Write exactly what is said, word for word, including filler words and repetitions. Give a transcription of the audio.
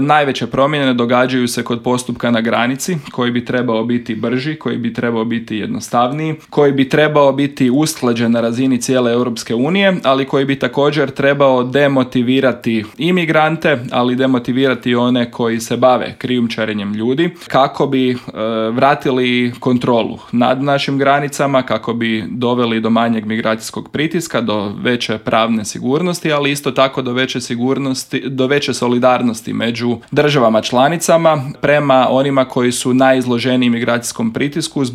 Najveće promjene događaju se kod postupka na granici, koji bi trebao biti brži, koji bi trebao biti jednostavniji, koji bi trebao biti usklađen na razini cijele Europske unije, ali koji bi također trebao demotivirati imigrante, ali demotivirati one koji se bave krijumčarenjem ljudi, kako bi e, vratili kontrolu nad našim granicama, kako bi doveli do manjeg migracijskog pritiska, do veće pravne sigurnosti, ali isto tako do veće sigurnosti, do veće solidarnosti među državama članicama prema onima koji su najizloženiji migracijskom pritisku